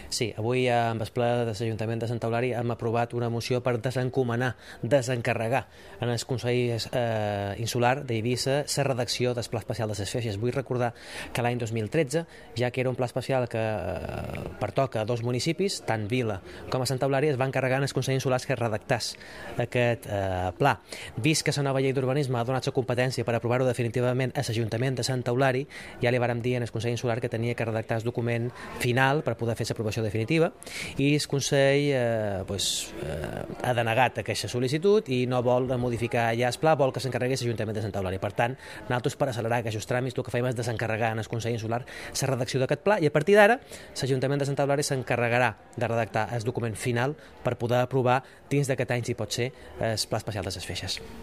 Sí, avui amb el ple de l'Ajuntament de Sant Eulària hem aprovat una moció per desencarregar en el Consell Insular d'Eivissa la redacció del Pla Especial de les Feixes. Vull recordar que l'any 2013, ja que era un pla especial que pertoca a dos municipis, tant Vila com a Sant Eulària, es va encarregar en el Consell Insular que redactàs aquest pla. Vist que la nova llei d'urbanisme ha donat la competència per aprovar-ho definitivament a l'Ajuntament de Sant Eulària, ja li vàrem dir en el Consell Insular que tenia que redactar el document final per poder fer l'aprovació definitiva, i el Consell ha denegat aquesta sol·licitud i no vol modificar ja el pla, vol que s'encarregui l'Ajuntament de Sant Eulària. Per tant, nosaltres, per accelerar aquests tràmits, el que fem és desencarregar en el Consell Insular la redacció d'aquest pla, i a partir d'ara l'Ajuntament de Sant Eulària s'encarregarà de redactar el document final per poder aprovar dins d'aquest any, si pot ser, el Pla Especial de les Feixes.